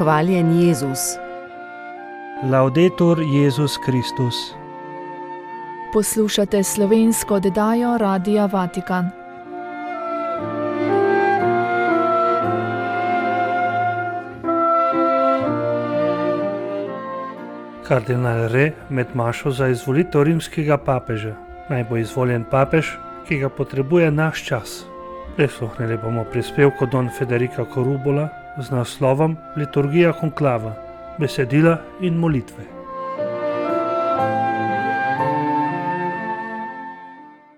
Hvaljen Jezus. Laudetur Jezus Kristus. Poslušate slovensko oddajo Radia Vatikan. Kardinal Re med mašo za izvolitev rimskega papeža. Naj bo izvoljen papež, ki ga potrebuje naš čas. Prisluhnili bomo prispevku Don Federica Korubola z naslovom Liturgija konklava, besedila in molitve.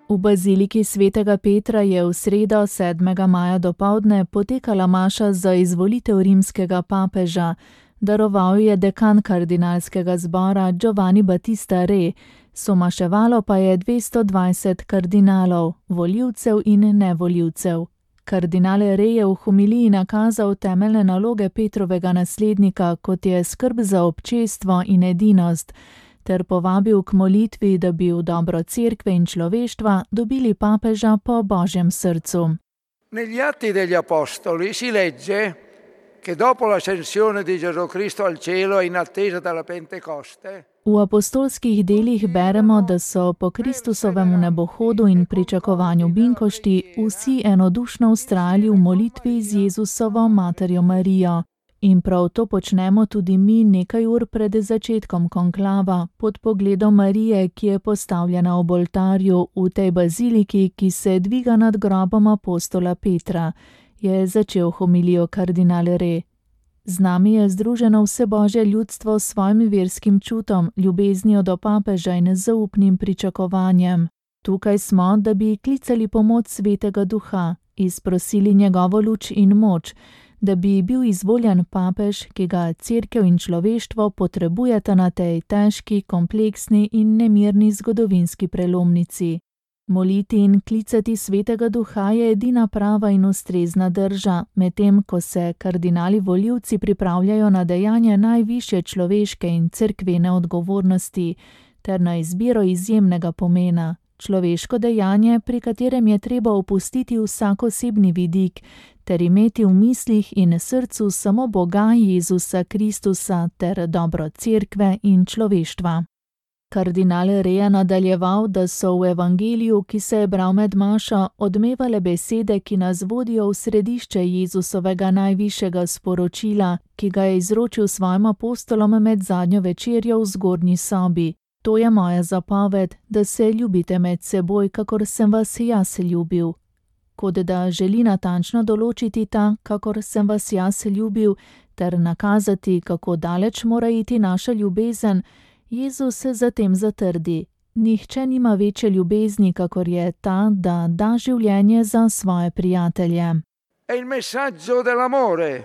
V baziliki svetega Petra je v sredo 7. maja dopoldne potekala maša za izvolitev rimskega papeža. Daroval je dekan kardinalskega zbora Giovanni Battista Re, somaševalo pa je 220 kardinalov, volivcev in nevolivcev. Kardinal Re je v homiliji nakazal temeljne naloge Petrovega naslednika, kot je skrb za občestvo in edinost, ter povabil k molitvi, da bi v dobro cerkve in človeštva dobili papeža po Božjem srcu. Negli Atti degli Apostoli si legge che dopo l'ascensione di Gesù Cristo al cielo in attesa della Pentecoste. V apostolskih delih beremo, da so po Kristusovem nebohodu in pričakovanju binkošti vsi enodušno vztrajali v molitvi z Jezusovo materjo Marijo. In prav to počnemo tudi mi nekaj ur pred začetkom konklava, pod pogledom Marije, ki je postavljena ob oltarju v tej baziliki, ki se dviga nad grobom apostola Petra, je začel homilijo kardinal Re. Z nami je združeno vse Božje ljudstvo s svojim verskim čutom, ljubeznijo do papeža in zaupnim pričakovanjem. Tukaj smo, da bi klicali pomoč Svetega Duha, izprosili njegovo luč in moč, da bi bil izvoljen papež, ki ga cerkev in človeštvo potrebujeta na tej težki, kompleksni in nemirni zgodovinski prelomnici. Moliti in klicati Svetega Duha je edina prava in ustrezna drža, medtem ko se kardinali volivci pripravljajo na dejanje najvišje človeške in cerkvene odgovornosti ter na izbiro izjemnega pomena, človeško dejanje, pri katerem je treba opustiti vsak osebni vidik ter imeti v mislih in srcu samo Boga Jezusa Kristusa ter dobro cerkve in človeštva. Kardinal Re je nadaljeval, da so v evangeliju, ki se je bral med mašo, odmevale besede, ki nas vodijo v središče Jezusovega najvišjega sporočila, ki ga je izročil svojim apostolom med zadnjo večerjo v zgornji sobi. To je moja zapoved, da se ljubite med seboj, kakor sem vas jaz ljubil. Kot da želi natančno določiti ta, kakor sem vas jaz ljubil, ter nakazati, kako daleč mora iti naša ljubezen, Jezus se zatem zatrdi: nihče nima večje ljubezni, kakor je ta, da da življenje za svoje prijatelje. È il messaggio dell'amore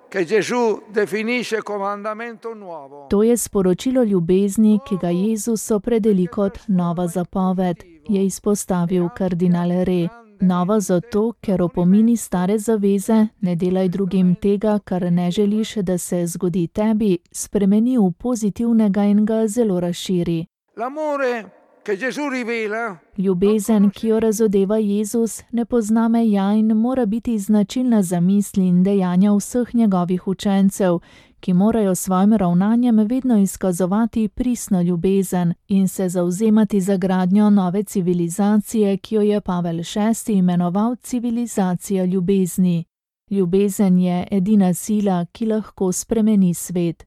che Gesù definisce comandamento nuovo. To je sporočilo ljubezni, ki ga Jezus opredeli kot nova zapoved, je izpostavil kardinal Re. Nova zato, ker opomini stare zaveze, ne delaj drugim tega, kar ne želiš, da se zgodi tebi, spremeni v pozitivnega in ga zelo razširi. L'amore che Gesù rivela. Ljubezen, ki jo razodeva Jezus, ne pozna meja in mora biti značilna za misli in dejanja vseh njegovih učencev, ki morajo s svojim ravnanjem vedno izkazovati pristno ljubezen in se zavzemati za gradnjo nove civilizacije, ki jo je Pavel VI imenoval civilizacija ljubezni. Ljubezen je edina sila, ki lahko spremeni svet.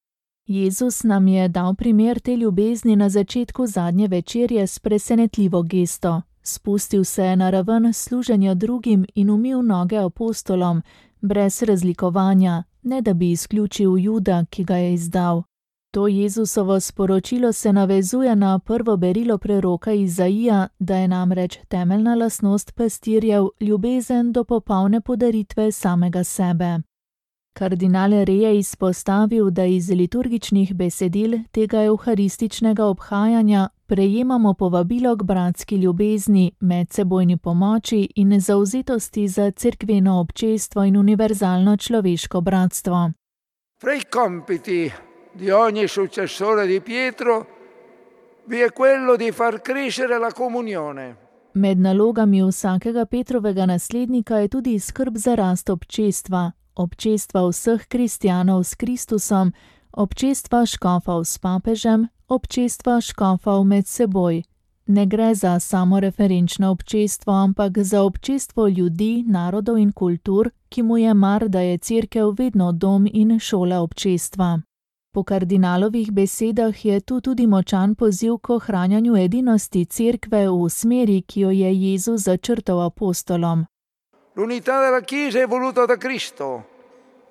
Jezus nam je dal primer te ljubezni na začetku zadnje večerje s presenetljivo gesto. Spustil se je na raven služenja drugim in umil noge apostolom, brez razlikovanja, ne da bi izključil Juda, ki ga je izdal. To Jezusovo sporočilo se navezuje na prvo berilo preroka Izaija, da je namreč temeljna lastnost pastirjev ljubezen do popolne podaritve samega sebe. Kardinal Re je izpostavil, da iz liturgičnih besedil tega evharističnega obhajanja prejemamo povabilo k bratski ljubezni, medsebojni pomoči in zavzetosti za cerkveno občestvo in univerzalno človeško bratstvo. Fra i compiti di ogni successore di Pietro vi è quello di far crescere la comunione. Med nalogami vsakega Petrovega naslednika je tudi skrb za rast občestva. občestva vseh kristjanov s Kristusom, občestva škofov s papežem, občestva škofov med seboj. Ne gre za samoreferenčno občestvo, ampak za občestvo ljudi, narodov in kultur, ki mu je mar, da je cerkev vedno dom in šola občestva. Po kardinalovih besedah je tu tudi močan poziv k ohranjanju edinosti cerkve v smeri, ki jo je Jezus začrtal apostolom. L'unità della Chiesa è voluta da Cristo.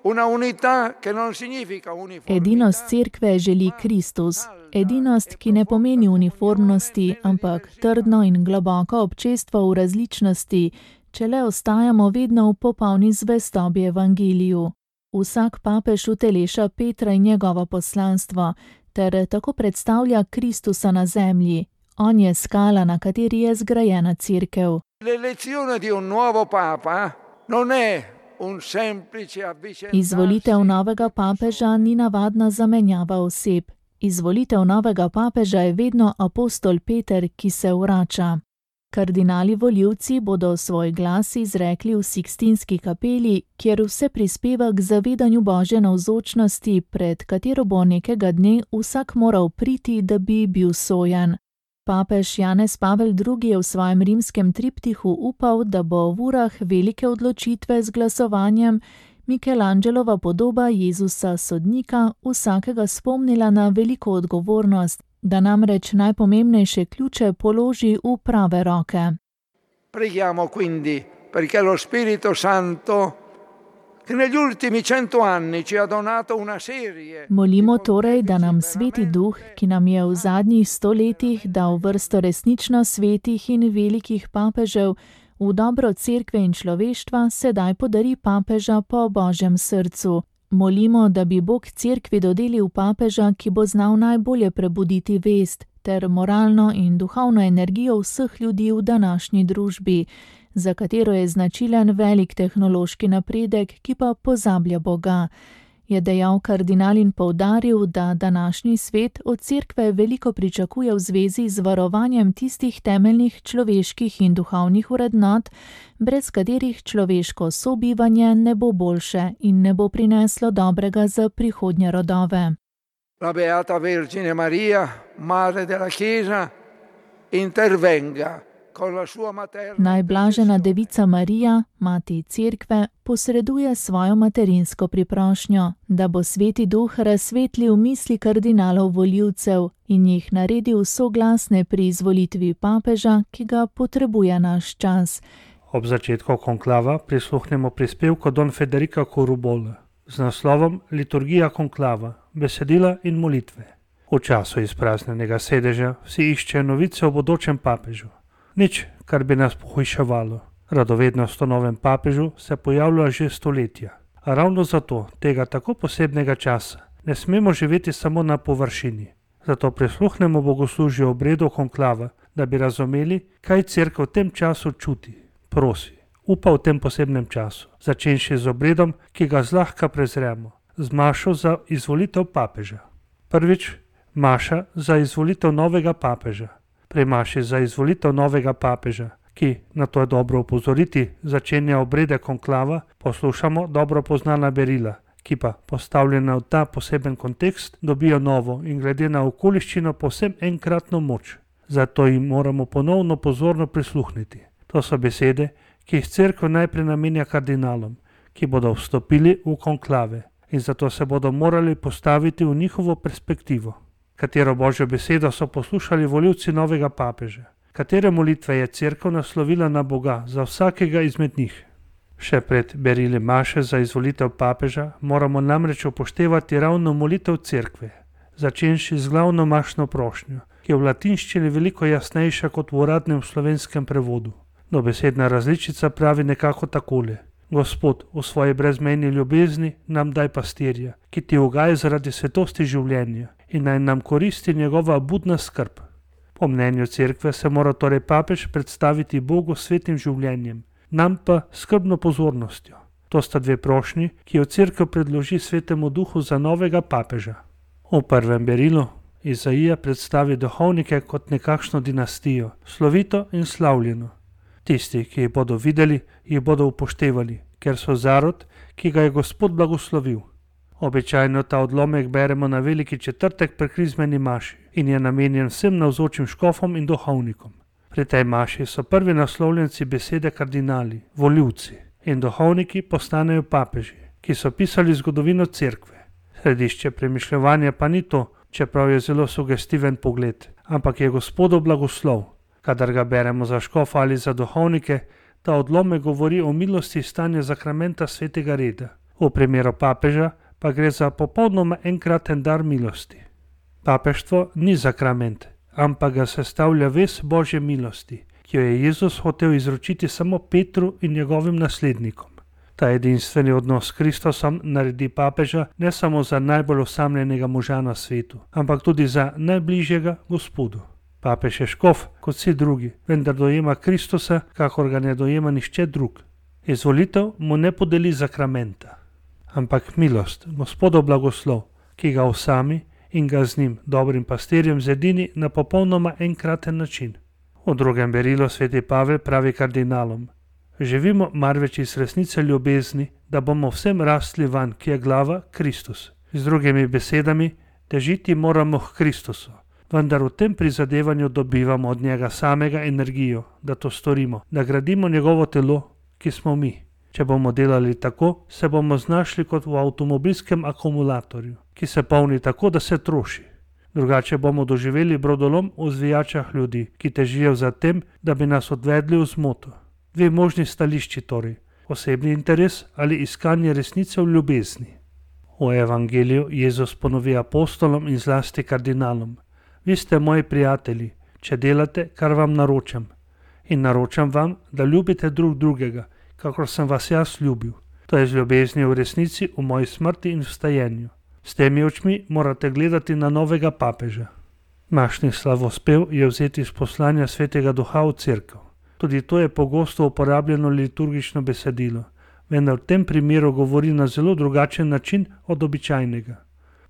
Una unità che non significa uniformità. Edinost cerkve želi Kristus. Edinost, ki ne pomeni uniformnosti, ampak trdno in globoko občestvo v različnosti, če le ostajamo vedno v popolni zvestobi evangeliju. Vsak papež uteleša Petra in njegovo poslanstvo, ter tako predstavlja Kristusa na zemlji. On je skala, na kateri je zgrajena cerkev. L'elezione di un nuovo papa non è un semplice avvicendarsi. Izvolitev novega papeža ni navadna zamenjava oseb. Izvolitev novega papeža je vedno apostol Peter, ki se vrača. Kardinali volivci bodo svoj glas izrekli v Sikstinski kapeli, kjer vse prispeva k zavedanju Božje navzočnosti, pred katero bo nekega dne vsak moral priti, da bi bil sojen. Papež Janez Pavel II. Je v svojem rimskem triptihu upal, da bo v urah velike odločitve z glasovanjem Michelangelova podoba Jezusa sodnika vsakega spomnila na veliko odgovornost, da namreč najpomembnejše ključe položi v prave roke. Preghiamo quindi perché lo Spirito Santo che negli ultimi 100 anni ci ha donato una serie. Molimo torej, da nam Sveti Duh, ki nam je v zadnjih 100 letih dal vrsto resnično svetih in velikih papežev, v dobro cerkve in človeštva sedaj podari papeža po Božjem srcu. Molimo, da bi Bog cerkvi dodelil papeža, ki bo znal najbolje prebuditi vest, ter moralno in duhovno energijo vseh ljudi v današnji družbi, za katero je značilen velik tehnološki napredek, ki pa pozablja Boga, je dejal kardinal in poudaril, da današnji svet od cerkve veliko pričakuje v zvezi z varovanjem tistih temeljnih človeških in duhovnih vrednot, brez katerih človeško sobivanje ne bo boljše in ne bo prineslo dobrega za prihodnje rodove. La Beata Vergine Maria, Madre della Chiesa, intervenga. Najblažena devica Marija, mati cerkve, posreduje svojo materinsko priprošnjo, da bo Sveti Duh razsvetlil misli kardinalov volivcev in jih naredil soglasne pri izvolitvi papeža, ki ga potrebuje naš čas. Ob začetku konklava prisluhnemo prispevku Don Federica Corubola z naslovom Liturgija konklava, besedila in molitve. V času izpraznjenega sedeža vsi iščejo novice o bodočem papežu. Nič, kar bi nas pohujševalo. Radovednost o novem papežu se pojavlja že stoletja. A ravno zato tega tako posebnega časa ne smemo živeti samo na površini. Zato prisluhnemo bogoslužju obredu konklava, da bi razumeli, kaj cerkev v tem času čuti, prosi, upa v tem posebnem času, začenši z obredom, ki ga zlahka prezremo, z mašo za izvolitev papeža. Prvič, maša za izvolitev novega papeža. Pri maši za izvolitev novega papeža, ki, na to je dobro opozoriti, začenja obrede konklava, poslušamo dobro poznana berila, ki pa, postavljena v ta poseben kontekst, dobijo novo in glede na okoliščino povsem enkratno moč. Zato jim moramo ponovno pozorno prisluhniti. To so besede, ki jih cerkev najprej namenja kardinalom, ki bodo vstopili v konklave in zato se bodo morali postaviti v njihovo perspektivo. Katero Božjo besedo so poslušali volivci novega papeža? Katere molitve je cerkev naslovila na Boga za vsakega izmed njih? Še pred berili maše za izvolitev papeža moramo namreč upoštevati ravno molitev cerkve, začenši z glavno mašno prošnjo, ki je v latinščini veliko jasnejša kot v uradnem slovenskem prevodu. Dobesedna različica pravi nekako takole: Gospod, v svoji brezmejni ljubezni nam daj pastirja, ki ti ugaja zaradi svetosti življenja in naj nam koristi njegova budna skrb. Po mnenju cerkve se mora torej papež predstaviti Bogu svetim življenjem, nam pa skrbno pozornostjo. To sta dve prošnji, ki jo cerkev predloži Svetemu Duhu za novega papeža. V prvem berilu Izaija predstavi duhovnike kot nekakšno dinastijo, slovito in slavljeno. Tisti, ki jih bodo videli, jih bodo upoštevali, ker so zarod, ki ga je Gospod blagoslovil. Običajno ta odlomek beremo na veliki četrtek pri krizmeni maši in je namenjen vsem navzočim škofom in duhovnikom. Pri tej maši so prvi naslovljenci besede kardinali, volivci, in duhovniki postanejo papeži, ki so pisali zgodovino cerkve. Središče premišljevanja pa ni to, čeprav je zelo sugestiven pogled, ampak je Gospodov blagoslov. Kadar ga beremo za škofa ali za duhovnike, ta odlomek govori o milosti stanja zakramenta svetega reda. V primeru papeža pa gre za popolnoma enkraten dar milosti. Papeštvo ni zakrament, ampak ga sestavlja ves Božje milosti, ki jo je Jezus hotel izročiti samo Petru in njegovim naslednikom. Ta edinstveni odnos s Kristusom naredi papeža ne samo za najbolj osamljenega moža na svetu, ampak tudi za najbližjega Gospodu. Papež je škof kot vsi drugi, vendar dojema Kristusa, kakor ga ne dojema nihče drug. Izvolitev mu ne podeli zakramenta, ampak milost, Gospodov blagoslov, ki ga osami in ga z njim, dobrim pastirjem, zedini na popolnoma enkraten način. V drugem berilu sveti Pavel pravi kardinalom: živimo marveč iz resnice ljubezni, da bomo vsem rastli van, ki je glava Kristus. Z drugimi besedami, težiti moramo k Kristusu, vendar v tem prizadevanju dobivamo od njega samega energijo, da to storimo, da gradimo njegovo telo, ki smo mi. Če bomo delali tako, se bomo znašli kot v avtomobilskem akumulatorju, ki se polni tako, da se troši. Drugače bomo doživeli brodolom v zvijačah ljudi, ki težijo za tem, da bi nas odvedli v zmoto. Dve možni stališči torej, osebni interes ali iskanje resnice v ljubezni. V evangeliju Jezus ponovi apostolom in zlasti kardinalom: vi ste moji prijatelji, če delate, kar vam naročam. In naročam vam, da ljubite drug drugega, kakor sem vas jaz ljubil. To je z ljubeznijo v resnici v moji smrti in vstajenju. S temi očmi morate gledati na novega papeža. Mašni slavospev je vzeti iz poslanja Svetega Duha v cerkev. Tudi to je pogosto uporabljeno liturgično besedilo, vendar v tem primeru govori na zelo drugačen način od običajnega.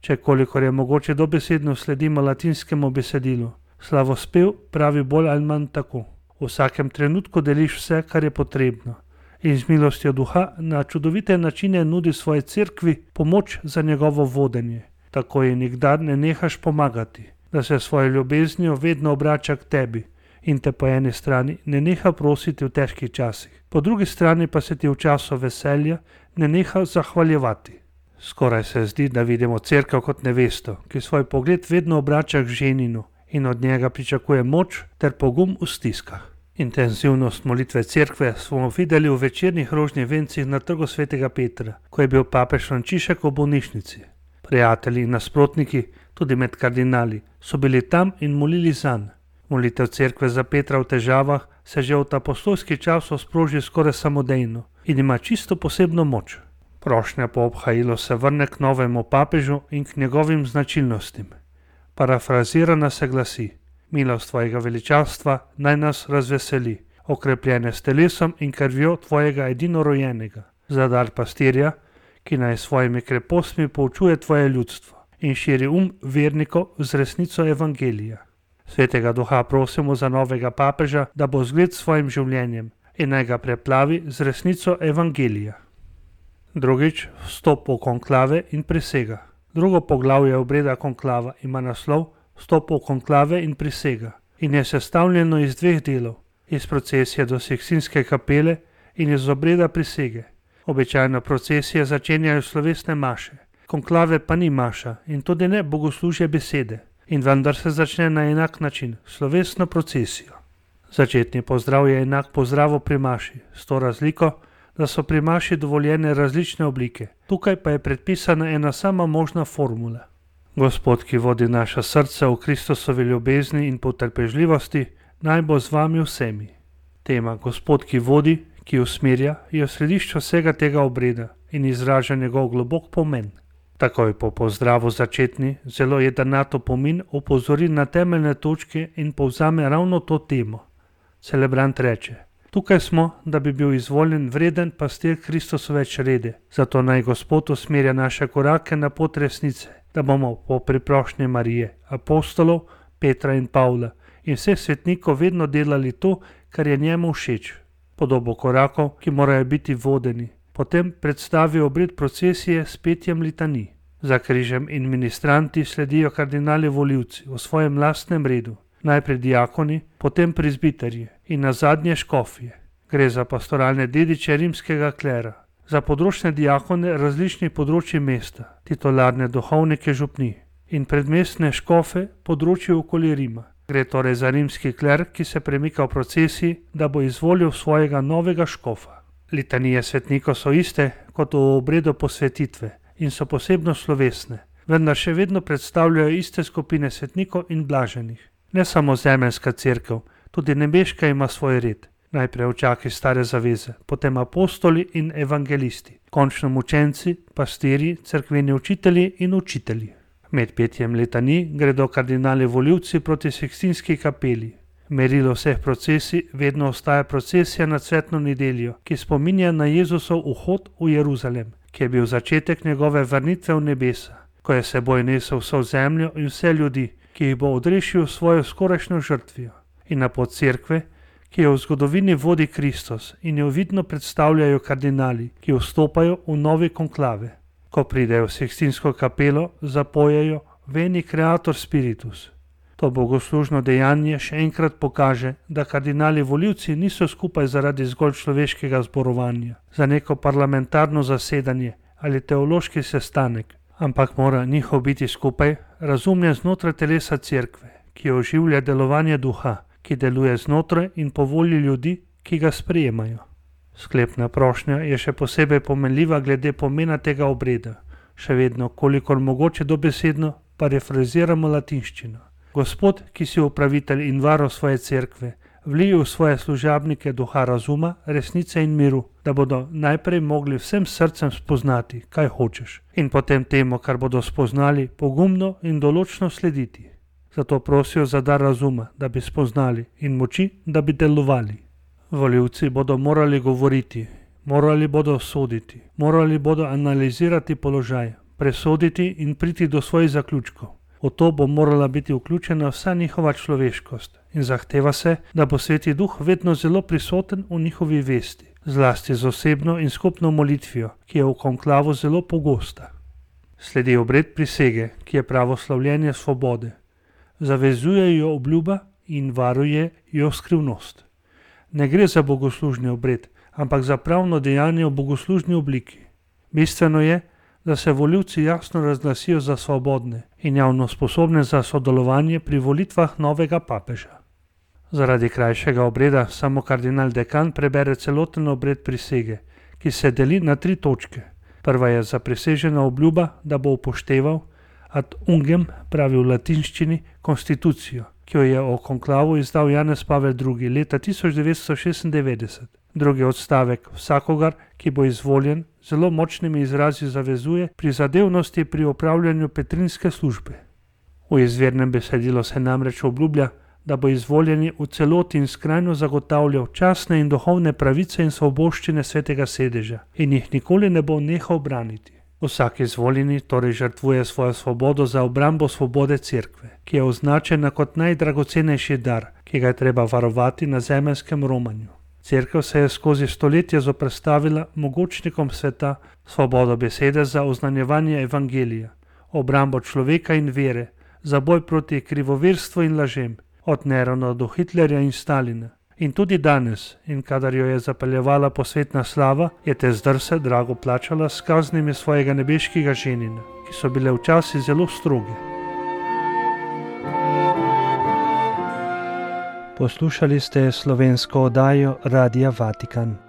Če kolikor je mogoče dobesedno sledimo latinskemu besedilu, slavospev pravi bolj ali manj tako: v vsakem trenutku deliš vse, kar je potrebno, in z milostjo duha na čudovite načine nudi svoji cerkvi pomoč za njegovo vodenje. Tako ji nikdar ne nehaš pomagati, da se svojo ljubeznijo vedno obrača k tebi in te po eni strani ne neha prositi v težkih časih, po drugi strani pa se ti v času veselja ne neha zahvaljevati. Skoraj se zdi, da vidimo cerkev kot nevesto, ki svoj pogled vedno obrača k ženinu in od njega pričakuje moč ter pogum v stiskah. Intenzivnost molitve cerkve smo videli v večernih rožnih vencih na trgu svetega Petra, ko je bil papež Frančišek v bolnišnici. Prijatelji in nasprotniki, tudi med kardinali, so bili tam in molili zanj. Molitev cerkve za Petra v težavah se že od apostolskih časov sproži skoraj samodejno in ima čisto posebno moč. Prošnja po obhajilu se vrne k novemu papežu in k njegovim značilnostim. Parafrazirana se glasi: milost tvojega veličavstva naj nas razveseli, okrepljene s telesom in krvjo tvojega edinorojenega, za dar pastirja, ki naj s svojimi krepostmi poučuje tvoje ljudstvo in širi vernikov z resnico evangelija. Svetega Duha prosimo za novega papeža, da bo zgled svojim življenjem in naj ga preplavi z resnico evangelija. Drugič, vstop v konklave in prisega. Drugo poglavje obreda konklava ima naslov Vstop v konklave in prisega in je sestavljeno iz dveh delov, iz procesije do Sikstinske kapele in iz obreda prisege. Običajno procesije začenjajo slovesne maše, konklave pa ni maša in tudi ne bogoslužje besede, in vendar se začne na enak način, slovesno procesijo. Začetni pozdrav je enak pozdravu pri maši, s to razliko, da so pri maši dovoljene različne oblike, tukaj pa je predpisana ena sama možna formula. Gospod, ki vodi naša srca v Kristusovi ljubezni in potrpežljivosti, naj bo z vami vsemi. Tema Gospod, ki vodi, ki usmerja, je v središču vsega tega obreda in izraža njegov globok pomen. Takoj po pozdravu začetni, zelo jedrnat opomin opozori na temeljne točke in povzame ravno to temo. Celebrant reče: tukaj smo, da bi bil izvoljen vreden pastir Kristusove črede, zato naj Gospod usmerja naše korake na pot resnice, da bomo po priprošnji Marije, apostolov, Petra in Pavla in vseh svetnikov vedno delali to, kar je njemu všeč, podobo korakov, ki morajo biti vodeni. Potem predstavi obred procesije s petjem litanij. Za križem in ministranti sledijo kardinali volivci v svojem lastnem redu. Najprej diakoni, potem prezbiterji in nazadnje škofje. Gre za pastoralne dediče rimskega klera. Za področne diakone različnih področji mesta, titularne duhovnike župnij in predmestne škofe področji okoli Rima. Gre torej za rimski kler, ki se premika v procesiji, da bo izvolil svojega novega škofa. Litanije svetnikov so iste kot v obredu posvetitve in so posebno slovesne, vendar še vedno predstavljajo iste skupine svetnikov in blaženih. Ne samo zemeljska cerkev, tudi nebeška ima svoj red. Najprej učaki stare zaveze, potem apostoli in evangelisti, končno mučenci, pastirji, cerkveni učitelji in učitelji. Med petjem litanij gredo kardinali volivci proti Sikstinski kapeli. Merilo vseh procesij vedno ostaja procesija nad Cvetno nedeljo, ki spominja na Jezusov vhod v Jeruzalem, ki je bil začetek njegove vrnitve v nebesa, ko je seboj nesel vso zemljo in vse ljudi, ki jih bo odrešil svojo skorajšnjo žrtvijo. In na pot cerkve, ki jo v zgodovini vodi Kristus in jo vidno predstavljajo kardinali, ki vstopajo v nove konklave. Ko pridejo v Sikstinsko kapelo, zapojejo Veni Creator Spiritus. To bogoslužno dejanje še enkrat pokaže, da kardinali volivci niso skupaj zaradi zgolj človeškega zborovanja, za neko parlamentarno zasedanje ali teološki sestanek, ampak mora njihov biti skupaj razumljen znotraj telesa cerkve, ki oživlja delovanje duha, ki deluje znotraj in po volji ljudi, ki ga sprejemajo. Sklepna prošnja je še posebej pomenljiva glede pomena tega obreda. Še vedno, kolikor mogoče dobesedno, parafraziramo latinščino. Gospod, ki si upravitelj in varo svoje cerkve, vlij v svoje služabnike duha razuma, resnice in miru, da bodo najprej mogli vsem srcem spoznati, kaj hočeš, in potem temu, kar bodo spoznali, pogumno in določno slediti. Zato prosijo za dar razuma, da bi spoznali, in moči, da bi delovali. Volivci bodo morali govoriti, morali bodo soditi, morali bodo analizirati položaj, presoditi in priti do svojih zaključkov. V to bo morala biti vključena vsa njihova človeškost in zahteva se, da bo Sveti Duh vedno zelo prisoten v njihovi vesti, zlasti z osebno in skupno molitvijo, ki je v konklavu zelo pogosta. Sledi obred prisege, ki je pravoslavljenje svobode. Zavezuje jo obljuba in varuje jo skrivnost. Ne gre za bogoslužni obred, ampak za pravno dejanje v bogoslužni obliki. Bistveno je, da se volivci jasno razglasijo za svobodne in javno sposobne za sodelovanje pri volitvah novega papeža. Zaradi krajšega obreda samo kardinal dekan prebere celoten obred prisege, ki se deli na 3 točke. Prva je zaprisežena obljuba, da bo upošteval ad ungem, pravi v latinščini, konstitucijo, ki jo je o konklavu izdal Janez Pavel II. Leta 1996. Drugi odstavek vsakogar, ki bo izvoljen, zelo močnimi izrazi zavezuje prizadevnosti pri opravljanju petrinske službe. V izvirnem besedilu se namreč obljublja, da bo izvoljeni v celoti in skrajno zagotavljal častne in duhovne pravice in svoboščine svetega sedeža in jih nikoli ne bo nehal braniti. Vsak izvoljeni torej žrtvuje svojo svobodo za obrambo svobode cerkve, ki je označena kot najdragocenejši dar, ki ga je treba varovati na zemeljskem romanju. Cerkev se je skozi stoletja zoperstavila mogočnikom sveta, svobodo besede za oznanjevanje evangelija, obrambo človeka in vere, za boj proti krivoverstvu in lažem, od Nerona do Hitlerja in Stalina. In tudi danes, in kadar jo je zapeljevala posvetna slava, je te zdrse drago plačala s kaznimi svojega nebeškega ženina, ki so bile včasih zelo stroge. Poslušali ste slovensko oddajo Radia Vatikan.